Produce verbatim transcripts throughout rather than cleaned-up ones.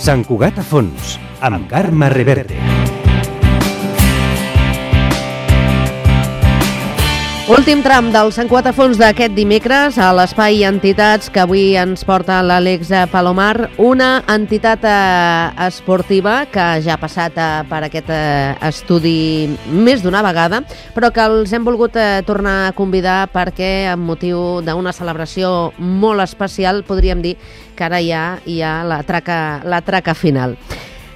Sant Cugat a fons, amb Carme Reverte. Últim tram del Sant Cugat a fons d'aquest dimecres a l'Espai Entitats que avui ens porta l'Àlex Palomar, una entitat eh, esportiva que ja ha passat eh, per aquest eh, estudi més d'una vegada, però que els hem volgut eh, tornar a convidar perquè amb motiu d'una celebració molt especial podríem dir que ara ja hi ha la traca, la traca final.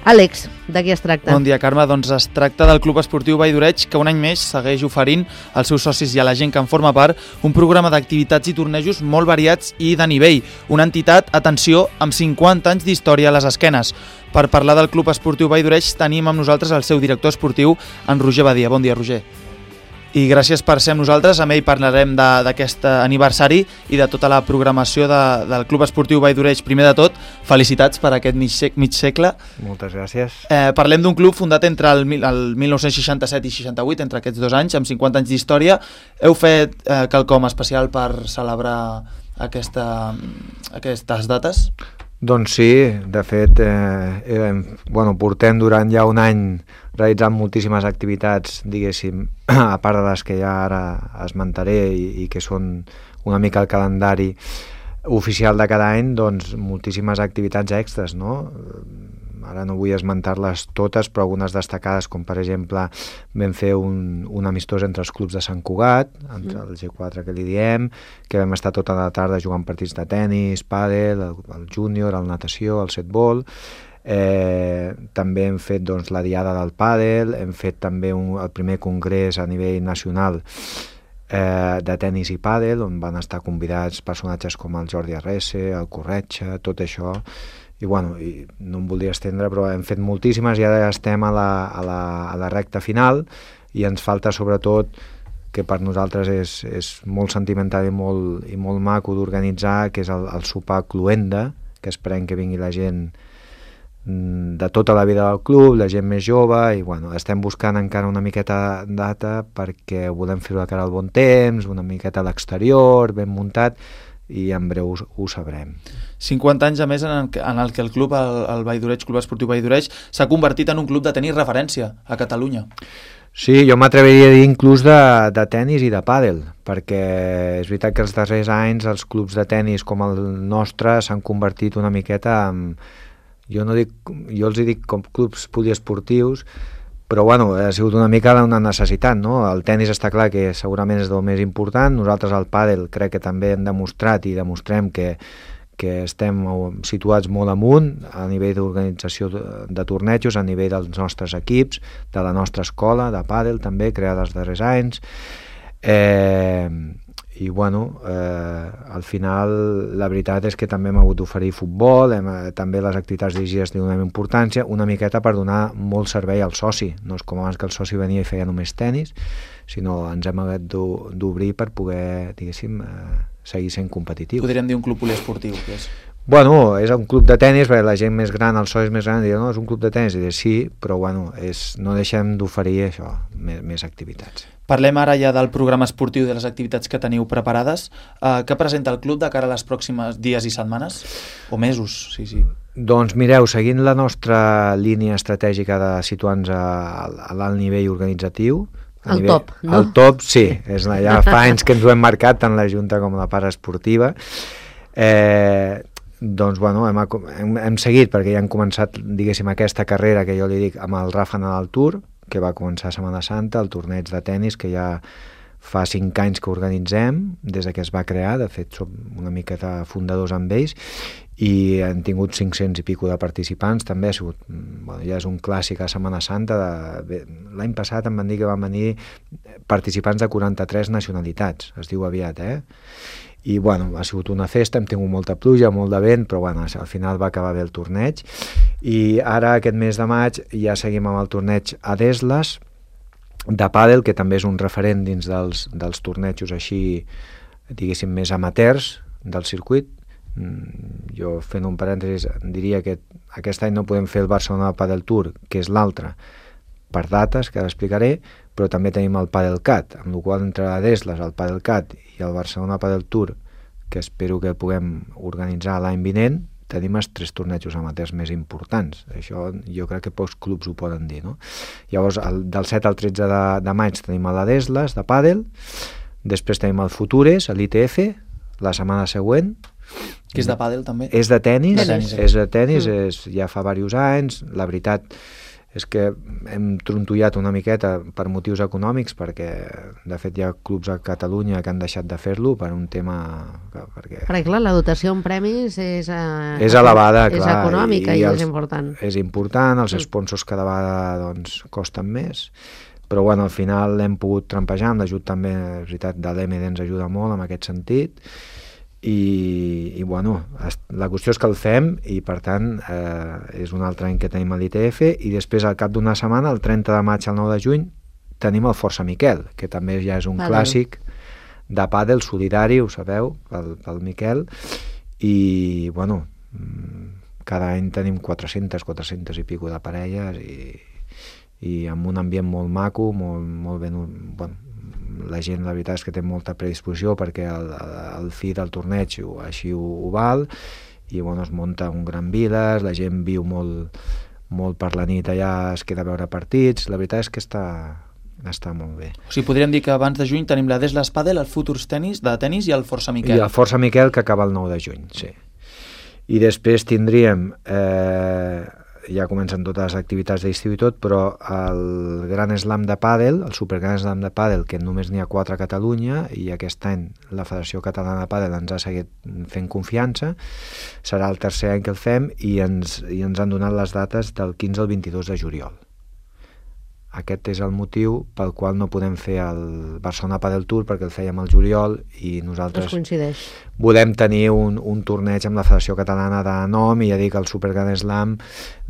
Àlex, de què es tracta? Bon dia, Carme. Doncs es tracta del Club Esportiu Vall d'Oreig, que un any més segueix oferint als seus socis i a la gent que en forma part un programa d'activitats i tornejos molt variats i de nivell. Una entitat, atenció, amb cinquanta anys d'història a les esquenes. Per parlar del Club Esportiu Vall d'Oreig tenim amb nosaltres el seu director esportiu, en Roger Badia. Bon dia, Roger. I gràcies per ser amb nosaltres. Amb ell parlarem d'aquest aniversari i de tota la programació de, del Club Esportiu Vall d'Oreig. Primer de tot, felicitats per aquest mig, sec, mig segle. Moltes gràcies. Eh, parlem d'un club fundat entre el, el mil nou-cents seixanta-set i seixanta-vuit, entre aquests dos anys, amb cinquanta anys d'història. Heu fet eh, quelcom especial per celebrar aquesta, aquestes dates? Doncs sí, de fet, eh, eh, bueno, portem durant ja un any realitzant moltíssimes activitats, diguéssim, a part de les que ja ara esmentaré i, i que són una mica el calendari oficial de cada any, doncs moltíssimes activitats extres, no? Ara no vull esmentar-les totes, però algunes destacades, com per exemple vam fer un, un amistós entre els clubs de Sant Cugat, entre el G quatre que li diem, que vam estar tota la tarda jugant partits de tennis, pàdel, el, el júnior, el natació, el setbol. Eh, també hem fet doncs, la diada del pàdel, hem fet també un, el primer congrés a nivell nacional eh, de tennis i pàdel, on van estar convidats personatges com el Jordi Arrese, el Corretxa, tot això. I bueno, i no em voldria estendre, però hem fet moltíssimes i ara estem a la, a la, a la recta final i ens falta sobretot, que per nosaltres és, és molt sentimental i molt, i molt maco d'organitzar, que és el, el sopar Cluenda, que esperem que vingui la gent de tota la vida del club, la gent més jove, i bueno, estem buscant encara una miqueta data perquè volem fer-ho de cara al bon temps, una miqueta a l'exterior, ben muntat, i en breu ho, ho sabrem. cinquanta anys a més en el, en el que el club, el, el Vall d'Oreig, Club Esportiu Vall d'Oreig, s'ha convertit en un club de tenis referència a Catalunya. Sí, jo m'atreviria a dir inclús de, de tenis i de pàdel, perquè és veritat que els darrers anys els clubs de tenis com el nostre s'han convertit una miqueta en, jo, no dic, jo els dic com clubs poliesportius, però bueno, ha sigut una mica una necessitat, no? El tenis està clar que segurament és el més important, nosaltres al pàdel crec que també hem demostrat i demostrem que, que estem situats molt amunt a nivell d'organització de, de tornejos, a nivell dels nostres equips, de la nostra escola de pàdel també, creada els darrers anys. Eh, i bueno, eh, al final la veritat és que també hem hagut d'oferir futbol, hem, també les activitats dirigides li donem importància, una miqueta per donar molt servei al soci, no és com abans que el soci venia i feia només tenis, sinó ens hem hagut d'obrir per poder, diguéssim, eh, seguir sent competitius. Podríem dir un club poliesportiu, que és? Bueno, és un club de tenis, perquè la gent més gran, els socis més grans, diuen, no, és un club de tenis, i diuen, sí, però bueno, és, no deixem d'oferir això, més, més activitats. Parlem ara ja del programa esportiu de les activitats que teniu preparades. Uh, què presenta el club de cara a les pròximes dies i setmanes? O mesos, sí, sí. Doncs mireu, seguint la nostra línia estratègica de situar-nos a, a l'alt nivell organitzatiu, el nivell, top, no? El top, sí, és, ja fa anys que ens ho hem marcat tant la Junta com la part esportiva. Eh, doncs bueno, hem, hem, hem seguit perquè ja hem començat, diguéssim, aquesta carrera que jo li dic amb el Rafa Nadal Tour, que va començar a Setmana Santa, el torneig de tennis que ja fa cinc anys que organitzem des que es va crear, de fet som una miqueta fundadors amb ells i han tingut cinc-cents i pico de participants, també ha sigut, bueno, ja és un clàssic a Setmana Santa. L'any passat em van dir que van venir participants de quaranta-tres nacionalitats, es diu aviat, eh? I bueno, ha sigut una festa, hem tingut molta pluja, molt de vent, però bueno, al final va acabar bé el torneig. I ara aquest mes de maig ja seguim amb el torneig a Desles de pàdel, que també és un referent dins dels, dels tornejos així, diguéssim, més amateurs del circuit. Jo, fent un parèntesis, diria que aquest any no podem fer el Barcelona Padel Tour, que és l'altre, per dates, que ara explicaré, però també tenim el Padelcat, amb la qual entre Desles, el Padelcat i el Barcelona Padel Tour, que espero que puguem organitzar l'any vinent, tenim els tres tornejos amateurs més importants. Això jo crec que pocs clubs ho poden dir, no? Llavors, el, del set al tretze de, de maig tenim a la Desles, de pàdel, després tenim el Futures, a l'I T F, la setmana següent. Que és de pàdel, també? És de tenis, de tenis. és de tenis, Mm. és, ja fa diversos anys. La veritat és que hem trontollat una miqueta per motius econòmics, perquè de fet hi ha clubs a Catalunya que han deixat de fer-lo per un tema... Perquè, Perquè, clar, la dotació en premis és... Eh, és elevada, és clar. econòmica i, i els, és important. És important, els Mm. sponsors cada vegada doncs, costen més, però bueno, al final l'hem pogut trampejar, amb l'ajut també, és veritat, de l'E M D ens ajuda molt en aquest sentit, i, i bueno, la qüestió és que el fem i per tant eh, és un altre any que tenim a l'I T F, i després al cap d'una setmana, el trenta de maig al nou de juny, tenim el Força Miquel, que també ja és un Pàdel. clàssic de pàdel solidari, ho sabeu, pel, pel Miquel, i bueno, cada any tenim quatre-centes, quatre-centes i pico de parelles, i, i amb un ambient molt maco, molt, molt ben... Bueno, la gent, la veritat és que té molta predisposició perquè el, el fi del torneig així ho, ho val, i bueno, es munta un gran viles, la gent viu molt, molt per la nit allà, es queda a veure partits, la veritat és que està, està molt bé. O sigui, podríem dir que abans de juny tenim la Desles Pàdel, el Futures Tenis de tenis i el Força Miquel. I el Força Miquel, que acaba el nou de juny, sí. I després tindríem... Eh, ja comencen totes les activitats d'estiu i tot, però el Gran Slam de Pàdel, el Super Gran Slam de Pàdel, que només n'hi ha quatre a Catalunya, i aquest any la Federació Catalana de Pàdel ens ha seguit fent confiança, serà el tercer any que el fem, i ens, i ens han donat les dates del quinze al vint-i-dos de juliol. Aquest és el motiu pel qual no podem fer el Barcelona Padel Tour, perquè el fèiem al juliol i No es nosaltres coincideix. volem tenir un, un torneig amb la Federació Catalana de nom, i ja dic, el Super Grand Slam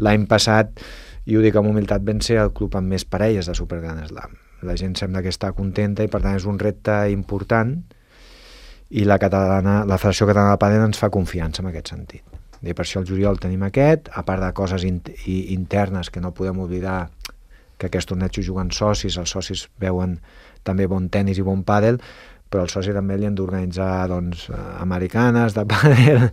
l'any passat, i ho dic amb humilitat, ben ser el club amb més parelles de Super Grand Slam. La gent sembla que està contenta i per tant és un repte important, i la, catalana, la Federació Catalana de Padel ens fa confiança en aquest sentit. I per això el juliol tenim aquest, a part de coses in, i, internes que no podem oblidar, que aquests tornejos juguen socis, els socis veuen també bon tenis i bon pàdel, però el soci també li han d'organitzar doncs, americanes de pàdel,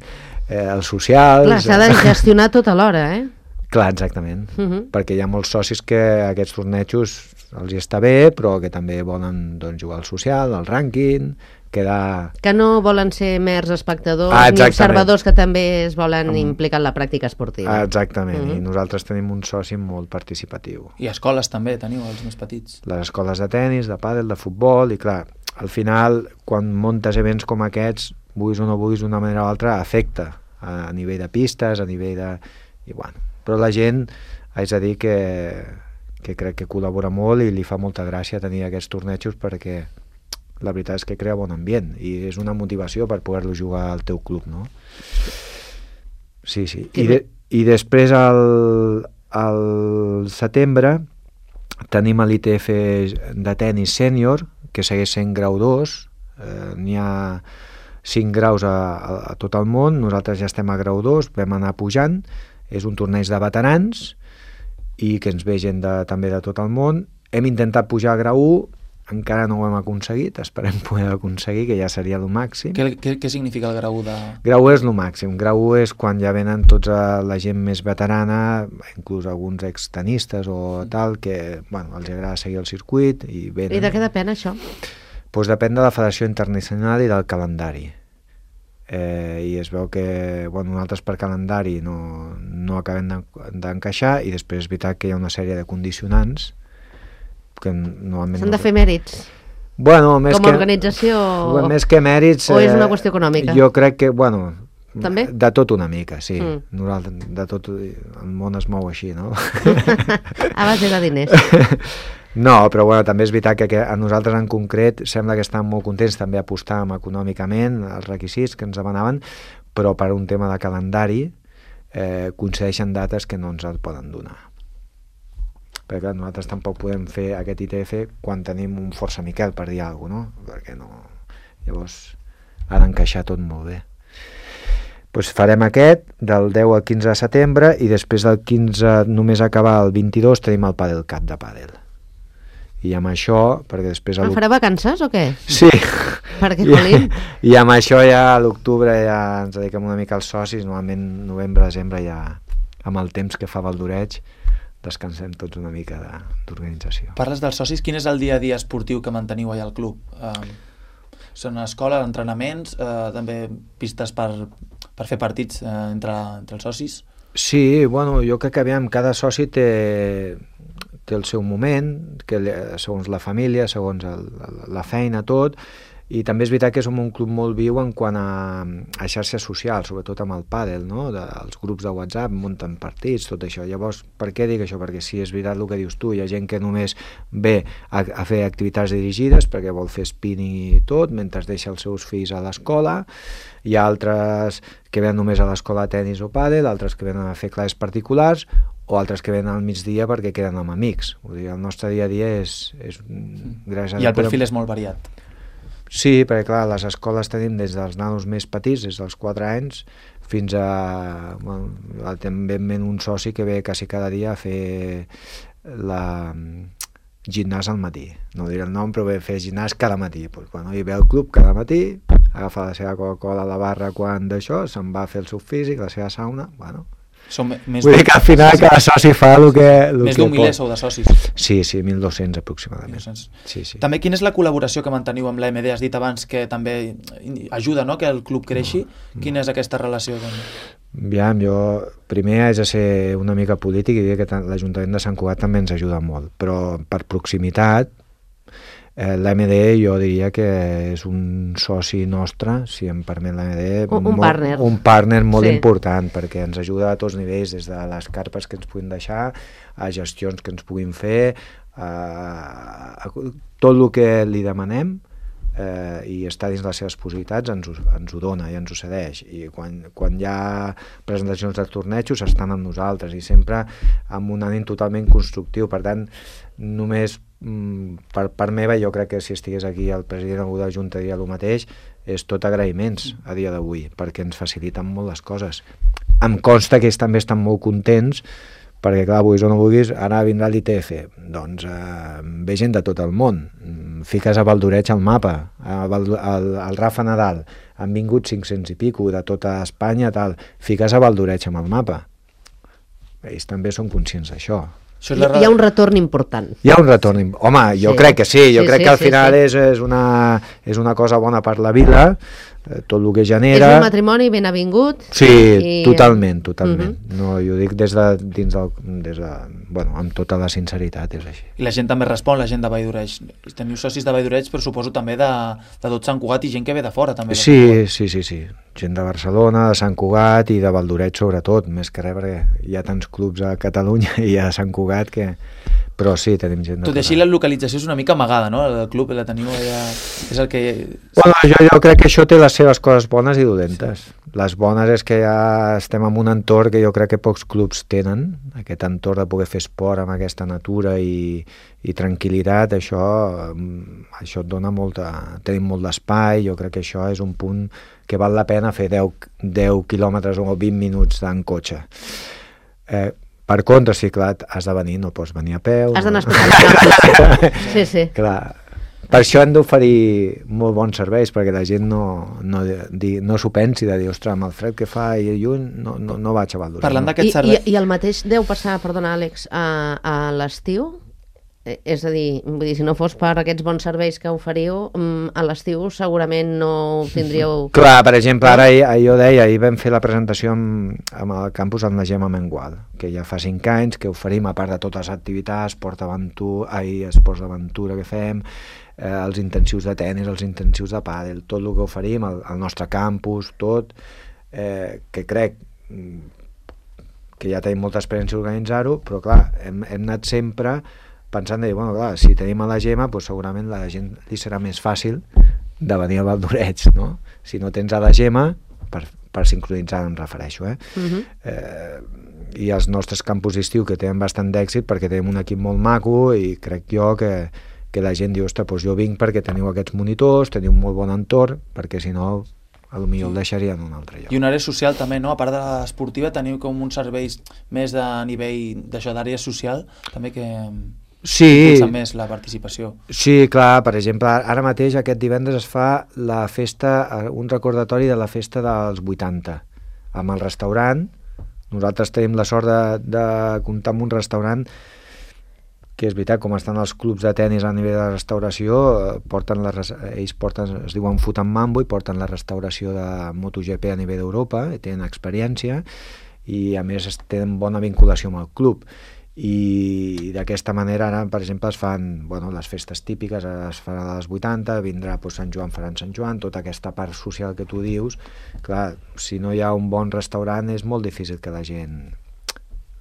eh, els socials... Clar, s'ha de gestionar tot alhora, eh? Clar, exactament, Uh -huh. perquè hi ha molts socis que aquests tornejos els hi està bé, però que també volen doncs, jugar al social, al rànquing, quedar... Que no volen ser mers espectadors Ah, ni observadors, que també es volen Amb- implicar en la pràctica esportiva. Ah, exactament, Uh -huh. i nosaltres tenim un soci molt participatiu. I escoles també teniu, els més petits. Les escoles de tennis, de pàdel, de futbol, i clar, al final, quan muntes events com aquests, vulguis o no vulguis, d'una manera o altra, afecta a, a nivell de pistes, a nivell de... I bueno, però la gent, haig de dir que, que crec que col·labora molt i li fa molta gràcia tenir aquests tornejos, perquè la veritat és que crea bon ambient i és una motivació per poder-lo jugar al teu club, no? Sí, sí. I, de, i després al, al setembre tenim l'I T F de tenis sènior, que segueix sent grau dos, eh, n'hi ha cinc graus a, a, a tot el món, nosaltres ja estem a grau dos, vam anar pujant, és un torneig de veterans i que ens ve gent de, també de tot el món. Hem intentat pujar a grau u, encara no ho hem aconseguit, esperem poder aconseguir, que ja seria el màxim. Què, què, què significa el grau de... Grau u és el màxim, grau u és quan ja venen tota la gent més veterana, inclús alguns extenistes o tal, que bueno, els agrada seguir el circuit i venen. I de què depèn això? Pues depèn de la Federació Internacional i del calendari. Eh, i es veu que bueno, nosaltres per calendari no, no acabem d'encaixar, i després és veritat que hi ha una sèrie de condicionants que normalment... S'han no... de fer mèrits. Bueno, més Com a que, organització... bueno, més que mèrits... O és una qüestió econòmica? Jo crec que, bueno... També? De tot una mica, sí. Mm. Nosaltres, de tot, el món es mou així, no? A base de diners. No, però bueno, també és veritat que, que a nosaltres en concret sembla que estan molt contents, també apostàvem econòmicament els requisits que ens demanaven, però per un tema de calendari eh, coincideixen dates que no ens el poden donar. Perquè clar, nosaltres tampoc podem fer aquest I T F quan tenim un Força Miquel, per dir alguna cosa, no? Perquè no... Llavors ha d'encaixar tot molt bé. Pues farem aquest del deu al quinze de setembre, i després del quinze, només acabar el vint-i-dos, tenim el Padel Cup de pàdel. i amb això, perquè després... Ah, farà vacances o què? Sí. Perquè, I, Colín... I amb això ja a l'octubre ja ens dediquem una mica als socis, normalment novembre, desembre ja amb el temps que fa Valdoreig descansem tots una mica d'organització. Parles dels socis, quin és el dia a dia esportiu que manteniu allà al club? Eh, són escola, entrenaments, eh, també pistes per, per fer partits eh, entre, entre els socis? Sí, bueno, jo crec que aviam, cada soci té, té el seu moment, que segons la família, segons el, la feina, tot, i també és veritat que som un club molt viu en quant a, a xarxes socials, sobretot amb el pàdel, no? De, els grups de WhatsApp munten partits, tot això. Llavors, per què dic això? Perquè sí, és veritat el que dius tu, hi ha gent que només ve a, a fer activitats dirigides perquè vol fer spinning i tot, mentre deixa els seus fills a l'escola. Hi ha altres que venen només a l'escola de tenis o pàdel, altres que venen a fer classes particulars, o altres que venen al migdia perquè queden amb amics. Vull dir, el nostre dia a dia és... és gràcies I el a perfil podem... és molt variat. Sí, perquè clar, les escoles tenim des dels nanos més petits, des dels quatre anys, fins a... Bueno, també un soci que ve quasi cada dia a fer la gimnàs al matí. No diré el nom, però ve a fer gimnàs cada matí. Pues, bueno, hi ve al club cada matí, agafa la seva Coca-Cola a la barra quan d'això, se'n va a fer el seu físic, la seva sauna, bueno... Som més Vull dir que al final cada soci fa el que, el més que d'un miler pot. sou de socis. Sí, sí, mil dos-cents aproximadament. mil dos-cents. Sí, sí. També quina és la col·laboració que manteniu amb l'A M D? Has dit abans que també ajuda, no?, que el club creixi. No, no. Quina és aquesta relació? Aviam, jo primer haig de ser una mica polític i dir que l'Ajuntament de Sant Cugat també ens ajuda molt, però per proximitat eh, l'A M D jo diria que és un soci nostre, si em permet l'A M D, un, un partner, un partner molt sí. important, perquè ens ajuda a tots nivells, des de les carpes que ens puguin deixar, a gestions que ens puguin fer, a, a tot el que li demanem, eh, i està dins les seves possibilitats, ens ho, ens ho dona i ens ho cedeix, i quan, quan hi ha presentacions de tornejos estan amb nosaltres, i sempre amb un ànim totalment constructiu. Per tant, només per part meva, jo crec que si estigués aquí el president o de Junta diria el mateix, és tot agraïments a dia d'avui, perquè ens faciliten molt les coses. Em consta que ells també estan molt contents, perquè clar, vulguis o no vulguis, ara vindrà l'I T F, doncs eh, ve gent de tot el món, fiques a Valdoreig al mapa, al, al, al Rafa Nadal, han vingut cinc-cents i pico de tota Espanya, tal, fiques a Valdoreig amb el mapa. Ells també són conscients d'això. Hi, hi ha un retorn important. Hi ha un retorn. Home, jo sí. crec que sí. Jo sí, crec sí, que al final sí, sí. És, és, una, és una cosa bona per la vila, tot el que genera... És un matrimoni ben avingut. Sí, i... totalment, totalment. Uh-huh. No, jo dic des de, dins del, des de, bueno, amb tota la sinceritat, és així. I la gent també respon, la gent de Valldoreig. Teniu socis de Valldoreig, però suposo també de, de tot Sant Cugat i gent que ve de fora, també. Sí, sí, sí, sí. Gent de Barcelona, de Sant Cugat i de Valdoreig sobretot, més que res, perquè hi ha tants clubs a Catalunya i a Sant Cugat que... Però sí, tenim gent de... Tot i així, la localització és una mica amagada, no? El club la teniu allà... És el que... Bueno, jo, jo crec que això té les seves coses bones i dolentes. Sí. Les bones és que ja estem en un entorn que jo crec que pocs clubs tenen, aquest entorn de poder fer esport amb aquesta natura i, i tranquil·litat, això, això et dona molta... Tenim molt d'espai, jo crec que això és un punt que val la pena fer deu, deu quilòmetres o vint minuts en cotxe. Eh, Per contra, sí, clar, has de venir, no pots venir a peu. Has d'anar no? a explicar. Sí, sí. Clar. Per això hem d'oferir molt bons serveis, perquè la gent no, no, no s'ho pensi de dir, ostres, amb el fred que fa i lluny no, no, no vaig a Valdoreig. Parlant no? d'aquest servei... I, I el mateix deu passar, perdona, Àlex, a, a l'estiu? És a dir, vull dir, si no fos per aquests bons serveis que oferiu, a l'estiu segurament no ho tindríeu... Clar, per exemple, ara ahir, jo deia, ahir vam fer la presentació amb, amb el campus amb la Gemma Mengual, que ja fa cinc anys que oferim, a part de totes les activitats, esport d'aventura, ahir esports d'aventura que fem, eh, els intensius de tenis, els intensius de pàdel, tot el que oferim, el, el nostre campus, tot, eh, que crec que ja tenim molta experiència d'organitzar-ho, però clar, hem, hem anat sempre pensant de dir, bueno, clar, si tenim a la Gemma, doncs segurament la gent li serà més fàcil de venir a Valdoreig, no? Si no tens a la Gemma, per, per sincronitzar em refereixo, eh? Uh-huh. eh? I els nostres campus d'estiu que tenen bastant d'èxit perquè tenim un equip molt maco i crec jo que, que la gent diu, ostres, doncs jo vinc perquè teniu aquests monitors, teniu un molt bon entorn, perquè si no a lo millor el deixarien en un altre lloc. I una àrea social també, no? A part de l'esportiva teniu com uns serveis més de nivell d'això d'àrea social, també que... sí, impulsa més la participació. Sí, clar, per exemple, ara mateix aquest divendres es fa la festa, un recordatori de la festa dels vuitanta, amb el restaurant. Nosaltres tenim la sort de, de comptar amb un restaurant que és veritat, com estan els clubs de tennis a nivell de restauració, porten la, ells porten, es diuen Foot and Mambo, i porten la restauració de MotoGP a nivell d'Europa, tenen experiència, i a més tenen bona vinculació amb el club. I d'aquesta manera ara, per exemple, es fan bueno, les festes típiques, es farà a les vuitanta, vindrà doncs, Sant Joan, faran Sant Joan, tota aquesta part social que tu dius. Clar, si no hi ha un bon restaurant és molt difícil que la gent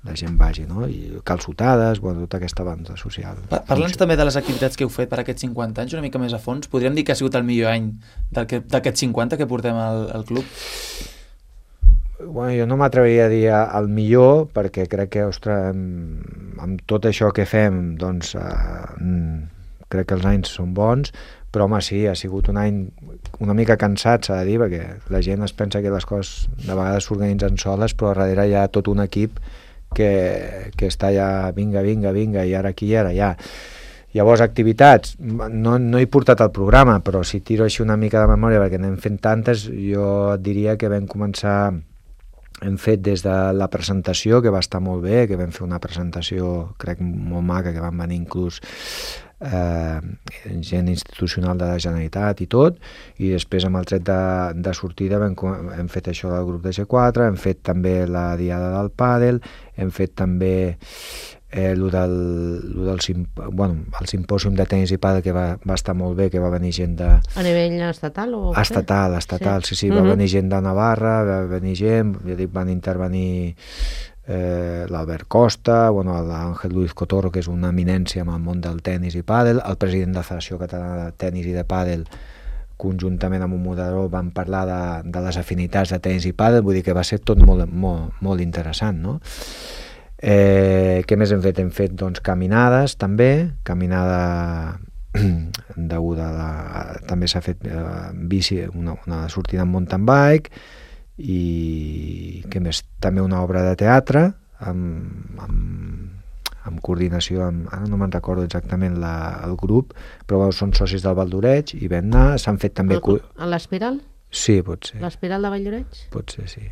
la gent vagi, no? I calçotades, bueno, tota aquesta banda social. Parla'ns també de les activitats que heu fet per aquests cinquanta anys, una mica més a fons. Podríem dir que ha sigut el millor any d'aquests cinquanta que portem al, al club? Bueno, jo no m'atreviria a dir el millor, perquè crec que, ostres, amb, amb tot això que fem, doncs, eh, crec que els anys són bons, però home, sí, ha sigut un any una mica cansat, s'ha de dir, perquè la gent es pensa que les coses de vegades s'organitzen soles, però darrere hi ha tot un equip que, que està ja vinga, vinga, vinga, i ara aquí i ara allà. Llavors, activitats, no, no he portat el programa, però si tiro així una mica de memòria, perquè n'hem fet tantes, jo et diria que vam començar, hem fet des de la presentació, que va estar molt bé, que vam fer una presentació, crec, molt maca, que van venir inclús eh, gent institucional de la Generalitat i tot, i després amb el tret de, de sortida hem, hem fet això del grup de G quatre, hem fet també la diada del pàdel, hem fet també eh, lo del, lo del simp bueno, el simpòsium de tenis i pàdel, que va, va estar molt bé, que va venir gent de... A nivell estatal o... Estatal, estatal, sí, sí, sí, va uh-huh. venir gent de Navarra, va venir gent, ja dic, van intervenir eh, l'Albert Costa, bueno, l'Àngel Luis Cotorro, que és una eminència amb el món del tenis i pàdel, el president de la Federació Catalana de Tenis i de Pàdel, conjuntament amb un moderador, van parlar de, de les afinitats de tenis i pàdel, vull dir que va ser tot molt, molt, molt interessant, no? Eh, què més hem fet? Hem fet doncs, caminades també, caminada deguda a la... també s'ha fet eh, bici, una, una sortida amb mountain bike, i què més? També una obra de teatre amb, amb, amb coordinació amb, ara no me'n recordo exactament la, el grup, però bueno, són socis del Valdoreig i vam anar, s'han fet també... A l'Espiral? Sí, pot ser. L'Espiral de Valdoreig? Pot ser, sí.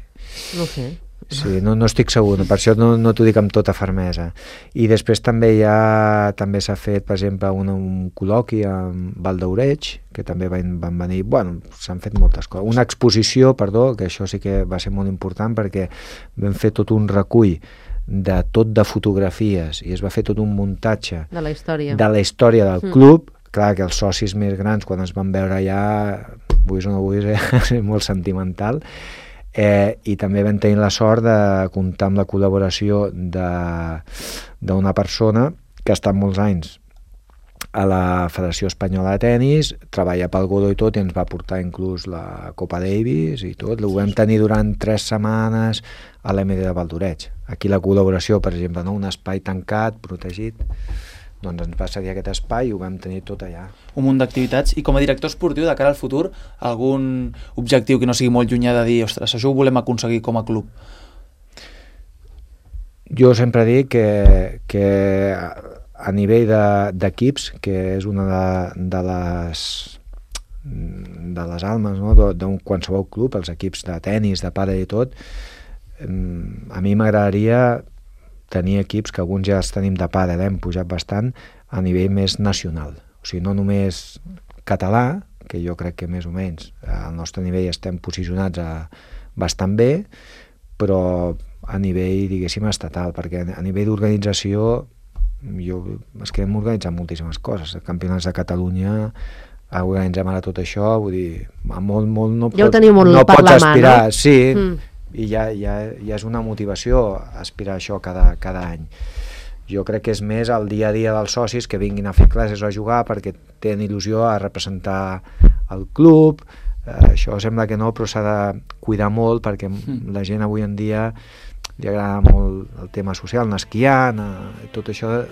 No sé. Sí, no, no estic segur, per això no, no t'ho dic amb tota fermesa. I després també hi ha, també s'ha fet, per exemple, un, un col·loqui amb Valdoreig, que també van, van venir, bueno, s'han fet moltes coses. Una exposició, perdó, que això sí que va ser molt important, perquè vam fer tot un recull de tot de fotografies i es va fer tot un muntatge de la història, de la història del mm. club. Clar que els socis més grans, quan es van veure allà, vull o no vull, és molt sentimental. Eh, i també vam tenir la sort de comptar amb la col·laboració d'una persona que ha estat molts anys a la Federació Espanyola de Tenis, treballa pel Godó i tot, i ens va portar inclús la Copa Davis i tot. Ho vam tenir durant tres setmanes a l'M D de Valdoreig. Aquí la col·laboració, per exemple, no? Un espai tancat, protegit, doncs ens va cedir aquest espai i ho vam tenir tot allà. Un munt d'activitats. I com a director esportiu, de cara al futur, algun objectiu que no sigui molt llunyà de dir, ostres, això ho volem aconseguir com a club? Jo sempre dic que, que a nivell d'equips, de, que és una de, de les de les almes, no? d'un qualsevol club, els equips de tenis, de pàdel i tot, a mi m'agradaria tenir equips, que alguns ja els tenim de pàdel, hem pujat bastant, a nivell més nacional. O sigui, no només català, que jo crec que més o menys al nostre nivell estem posicionats a, bastant bé, però a nivell, diguéssim, estatal, perquè a nivell d'organització jo, és que hem organitzat moltíssimes coses. Campionats de Catalunya, organitzem ara tot això, vull dir, molt, molt no, ja pot, molt no pots aspirar, mà, no? Sí, mm. i ja, ja, ja és una motivació aspirar a això cada, cada any. Jo crec que és més el dia a dia dels socis que vinguin a fer classes o a jugar perquè tenen il·lusió a representar el club. Eh, això sembla que no, però s'ha de cuidar molt perquè mm. la gent avui en dia li agrada molt el tema social, anar esquiant, eh, tot això.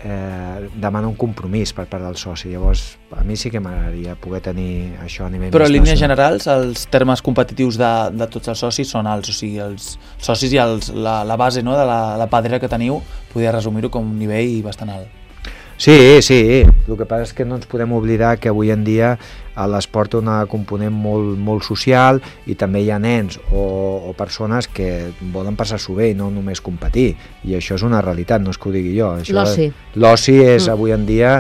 eh, demana un compromís per part del soci. Llavors, a mi sí que m'agradaria poder tenir això a nivell Però més en línies nacional. generals, els termes competitius de, de tots els socis són alts, o sigui, els socis i els, la, la base, no?, de la, la padrera que teniu, podria resumir-ho com un nivell bastant alt. Sí, sí, el que passa és que no ens podem oblidar que avui en dia l'esport té una component molt, molt social i també hi ha nens o, o persones que volen passar-s'ho bé i no només competir, i això és una realitat, no és que ho digui jo. L'oci. L'oci és Mm. avui en dia,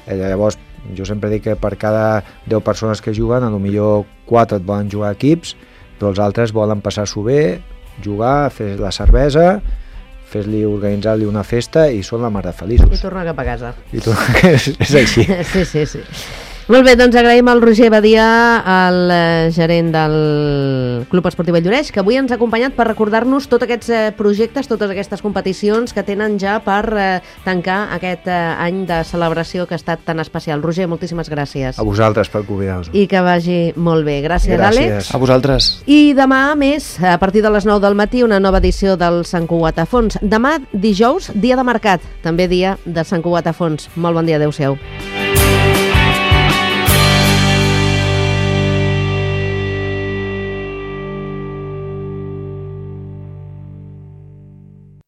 eh, llavors jo sempre dic que per cada deu persones que juguen, a lo millor quatre et volen jugar a equips, però els altres volen passar-s'ho bé, jugar, fer la cervesa, fes-li, organitzar-li una festa i són la mar de I feliços. tornar cap a casa. I tu, és, és així. Sí, sí, sí. Molt bé, doncs agraïm al Roger Badia, el eh, gerent del Club Esportiu Valldoreix, que avui ens ha acompanyat per recordar-nos tots aquests eh, projectes, totes aquestes competicions que tenen ja per eh, tancar aquest eh, any de celebració que ha estat tan especial. Roger, moltíssimes gràcies. A vosaltres per convidar-nos. I que vagi molt bé. Gràcies, Gràcies. Àlex. A vosaltres. I demà, a més, a partir de les nou del matí, una nova edició del Sant Cugat a Fons. Demà, dijous, dia de mercat, també dia de Sant Cugat a Fons. Molt bon dia, adeu-siau.